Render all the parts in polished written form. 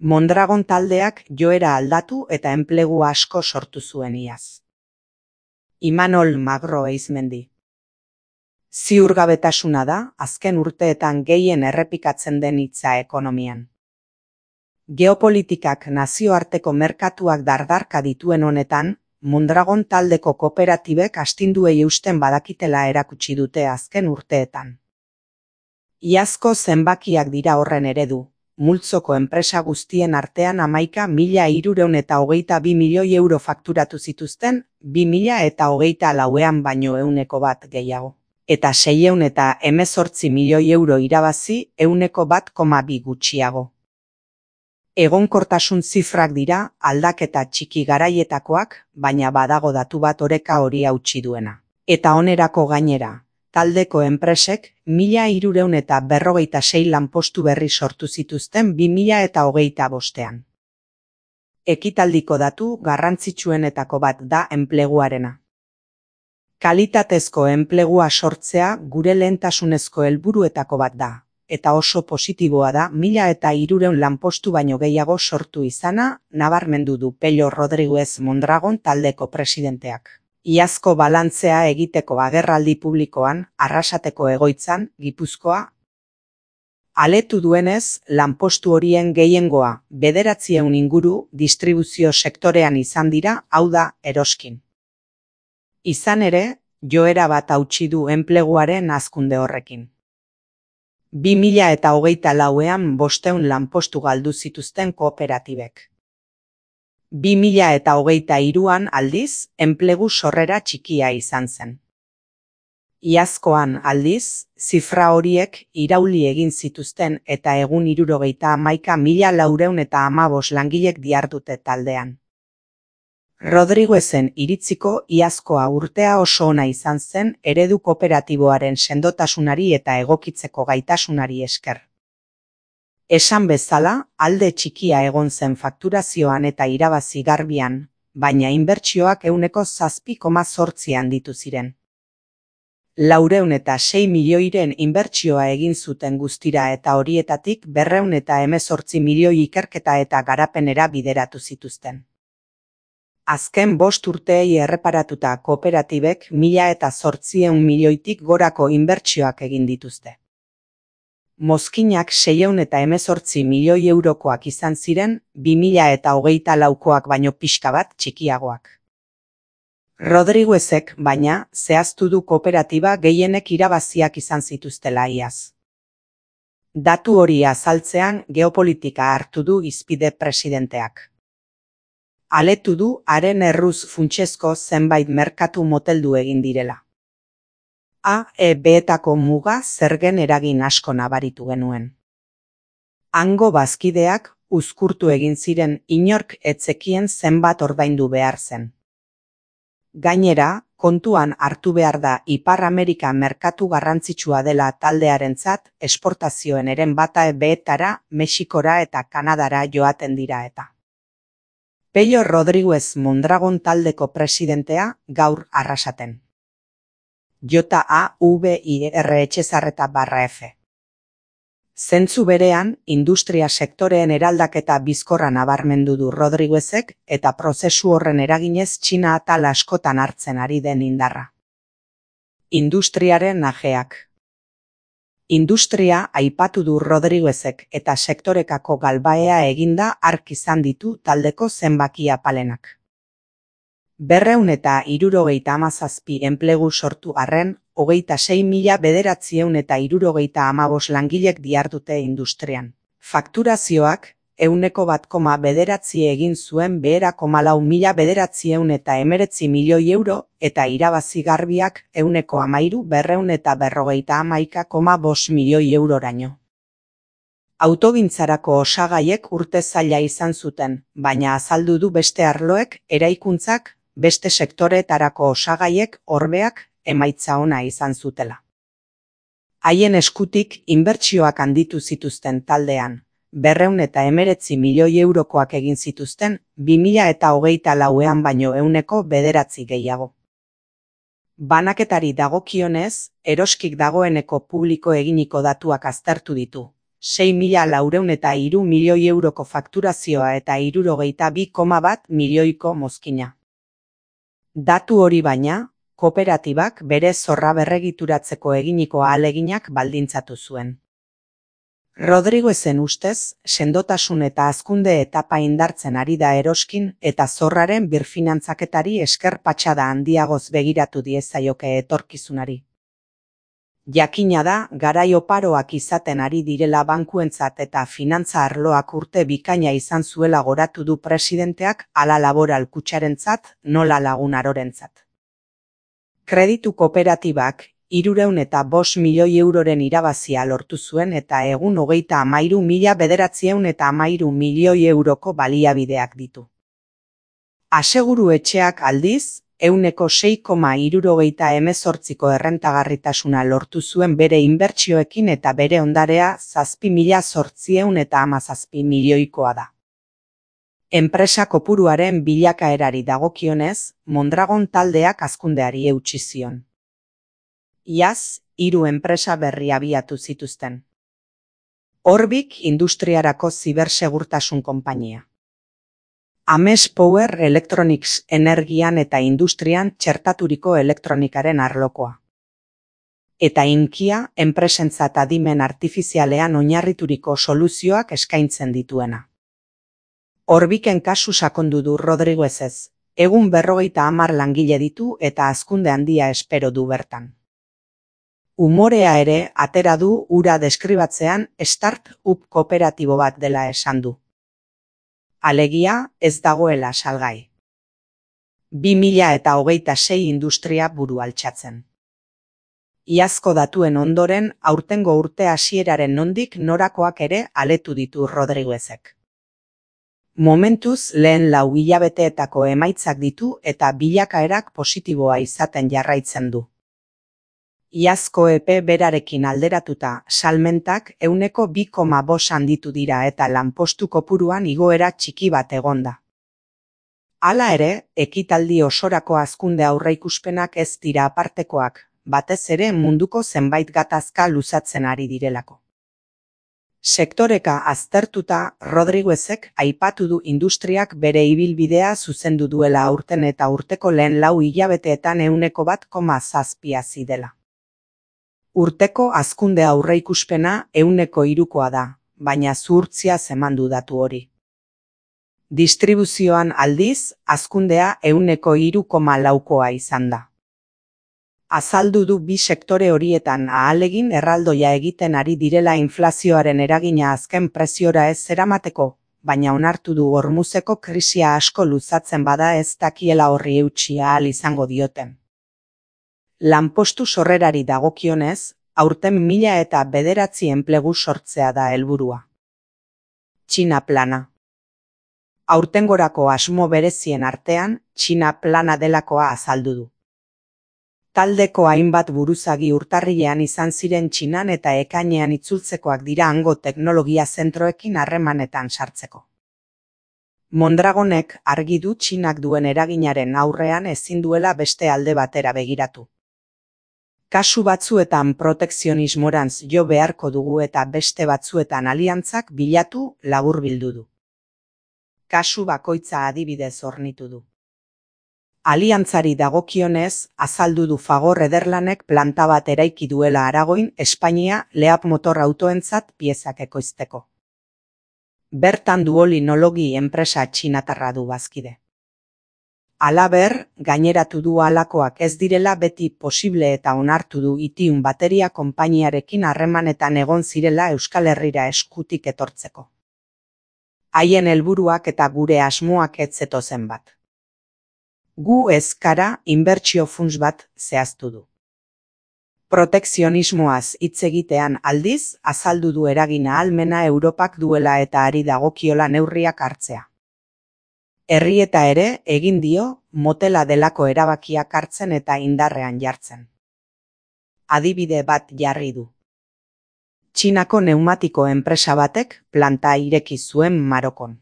Mondragon taldeak joera aldatu eta enplegu asko sortu zuen iaz. Imanol Magro Eizmendi. Ziurgabetasuna da azken urteetan gehien errepikatzen den hitza ekonomian. Geopolitikak nazioarteko merkatuak dardarka dituen honetan, Mondragon taldeko kooperatibek astinduei eusten badakitela erakutsi dute azken urteetan. Iazko zenbakiak dira horren eredu. Multzoko enpresa guztien artean 11.322 milioi euro fakturatu zituzten 2024ean baino 100% gehiago. Eta 618 milioi euro irabazi 1,2% gutxiago. Egonkortasun zifrak dira aldaketa txiki garaietakoak, baina badago datu bat oreka hori hautsi duena. Eta onerako gainera. Taldeko enpresek 1.346 lanpostu berri sortu zituzten 2025ean. Ekitaldiko datu garrantzitsuenetako bat da enpleguarena. Kalitatezko enplegua sortzea gure lehentasunezko helburuetako bat da, eta oso positiboa da 1.300 lanpostu baino gehiago sortu izana, nabarmendu du Pello Rodriguez Mondragon taldeko presidenteak. Iazko balantzea egiteko agerraldi publikoan, Arrasateko egoitzan, Gipuzkoa. Aletu duenez, lanpostu horien gehiengoa, 900 inguru distribuzio sektorean izan dira, hau da, eroskin. Izan ere, joera bat hautsi du enpleguaren hazkunde horrekin. 2024ean 500 lanpostu galdu zituzten kooperatibek. 2023an aldiz, enplegu sorrera txikia izan zen. Iazkoan aldiz, zifra horiek irauli egin zituzten eta egun 71.415 langilek dihardute taldean. Rodriguezen iritziko iazkoa urtea oso ona izan zen eredu kooperatiboaren sendotasunari eta egokitzeko gaitasunari esker. Esan bezala, alde txikia egon zen fakturazioan eta irabazi garbian, baina inbertsioak 7,8% handitu ziren. 406 milioiren inbertsioa egin zuten guztira eta horietatik 218 milioi ikerketa eta garapenera bideratu zituzten. Azken 5 urteei erreparatuta kooperatibek 1.800 milioitik gorako inbertsioak egin dituzte. Mozkinak 618 milioi eurokoak izan ziren, 2024koak baino pixka bat txikiagoak. Rodriguezek, baina, zehaztu du kooperatiba gehienek irabaziak izan zituztela iaz. Datu hori azaltzean geopolitika hartu du hizpide presidenteak. Aletu du haren erruz funtsezko zenbait merkatu moteldu egin direla. AEB-etako muga zergen eragin asko nabaritu genuen. Hango bazkideak uzkurtu egin ziren inork etzekien zenbat ordaindu behar zen. Gainera, kontuan hartu behar da Ipar Amerika merkatu garrantzitsua dela taldearentzat esportazioen eren bata AEB-etara, Mexikora eta Kanadara joaten dira eta. Pello Rodriguez Mondragon taldeko presidentea gaur Arrasaten. JAVIR_F. Zentzu berean, industria sektoreen eraldaketa bizkorra nabarmendu du Rodriguezek eta prozesu horren eraginez Txina atal askotan hartzen ari den indarra. Industriaren ajeak. Industria aipatu du Rodriguezek eta sektorekako galbaea eginda hark izan ditu taldeko zenbaki apalenak. 277 enplegu sortu arren, 26.975 langilek dihardute industrian. Fakturazioak, 1,9% egin zuen 2,419 milioi euro eta irabazi garbiak 1,1351,5 milioi euroraino. Autogintzarako osagaiek urte zaila izan zuten, baina azaldu du beste arloek, eraikuntzak, beste sektoreetarako osagaiek, orbeak, emaitza ona izan zutela. Haien eskutik inbertsioak handitu zituzten taldean, 219 milioi eurokoak egin zituzten 2024ean baino 109% gehiago. Banaketari dagokionez, eroskik dagoeneko publiko eginiko datuak aztertu ditu, 6.403 milioi euroko fakturazioa eta 62,1 milioiko mozkina. Datu hori baina, kooperatibak bere zorra berregituratzeko eginiko ahaleginak baldintzatu zuen. Rodriguezen ustez, sendotasun eta hazkunde etapa indartzen ari da eroskin eta zorraren birfinantzaketari esker patxada handiagoz begiratu diezaioke etorkizunari. Jakina da, garai oparoak izaten ari direla bankuentzat eta finantza arloak urte bikaina izan zuela goratu du presidenteak hala Laboral Kutxarentzat, nola Lagun Arorentzat. Kreditu kooperatibak 305 milioi euroren irabazia lortu zuen eta egun 33.913 milioi euroko baliabideak ditu. Aseguru etxeak aldiz, 6,78ko errentagarritasuna lortu zuen bere inbertsioekin eta bere ondarea 7.817 milioikoa da. Enpresa kopuruaren bilakaerari dagokionez, Mondragon taldeak hazkundeari eutsi zion. Iaz, 3 enpresa berri abiatu zituzten. Orbik industriarako zibersegurtasun konpainia. Ames Power Electronics energian eta industrian txertaturiko elektronikaren arlokoa. Eta Inkia enpresentzat adimen artifizialean oinarrituriko soluzioak eskaintzen dituena. Orbiken kasu sakondu du Rodriguezez, egun 50 langile ditu eta hazkunde handia espero du bertan. Umorea ere atera du hura deskribatzean start-up kooperatibo bat dela esan du. Alegia, ez dagoela salgai. 2026 industria buru altxatzen. Iazko datuen ondoren, aurtengo urte hasieraren nondik norakoak ere aletu ditu Rodriguezek. Momentuz lehen 4 hilabeteetako emaitzak ditu eta bilakaerak positiboa izaten jarraitzen du. Iazko epe berarekin alderatuta, salmentak 2,5 handitu dira eta lanpostu kopuruan igoera txiki bat egonda. Hala ere, ekitaldi osorako hazkunde aurreikuspenak ez dira apartekoak, batez ere munduko zenbait gatazka luzatzen ari direlako. Sektoreka aztertuta, Rodriguezek aipatu du industriak bere ibilbidea zuzendu duela aurten eta urteko lehen 4 hilabeteetan 1,7 hazi dela. Urteko hazkunde aurreikuspena 3koa da, baina zuhurtzia emandu datu hori. Distribuzioan aldiz, hazkundea 3,4koa izan da. Azaldu du bi sektore horietan ahalegin erraldoia egiten ari direla inflazioaren eragina azken preziora ez eramateko, baina onartu du Hormuzeko krisia asko luzatzen bada ez dakiela horri eutsi ahal izango dioten. Lanpostu sorrerari dagokionez, aurten 1009 enplegu sortzea da helburua. Txina plana. Aurtengorako asmo berezien artean, Txina plana delakoa azaldu du. Taldeko hainbat buruzagi urtarrilean izan ziren Txinan eta ekainean itzultzekoak dira hango teknologia zentroekin harremanetan sartzeko. Mondragonek argi du Txinak duen eraginaren aurrean ezin duela beste alde batera begiratu. Kasu batzuetan protekzionismorantz jo beharko dugu eta beste batzuetan aliantzak bilatu laburbildu du. Kasu bakoitza adibidez hornitu du. Aliantzari dagokionez, azaldu du Fagor Ederlanek planta bat eraiki duela Aragoin, Espainia, Leap motor autoentzat piezak ekoizteko. Bertan Duolinologi enpresa txinatarra du bazkide. Halaber, gaineratu du halakoak ez direla beti posible eta onartu du Itium bateria konpainiarekin harremanetan egon zirela Euskal Herrira eskutik etortzeko. Haien helburuak eta gure asmoak ez zetozen bat. Gu ez gara inbertsio funts bat zehaztu du. Protekzionismoaz hitz egitean aldiz, azaldu du eragin ahalmena Europak duela eta ari dagokiola neurriak hartzea. Herri eta ere egin dio motela delako erabakiak hartzen eta indarrean jartzen. Adibide bat jarri du. Txinako neumatiko enpresa batek planta ireki zuen Marokon.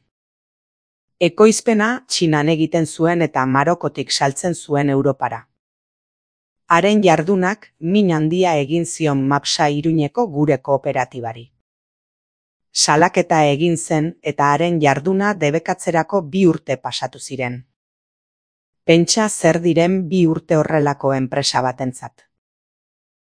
Ekoizpena Txinan egiten zuen eta Marokotik saltzen zuen Europara. Haren jardunak min handia egin zion Mapsa Iruñeko gure kooperatibari. Salaketa egin zen eta haren jarduna debekatzerako 2 urte pasatu ziren. Pentsa zer diren 2 urte horrelako enpresa batentzat.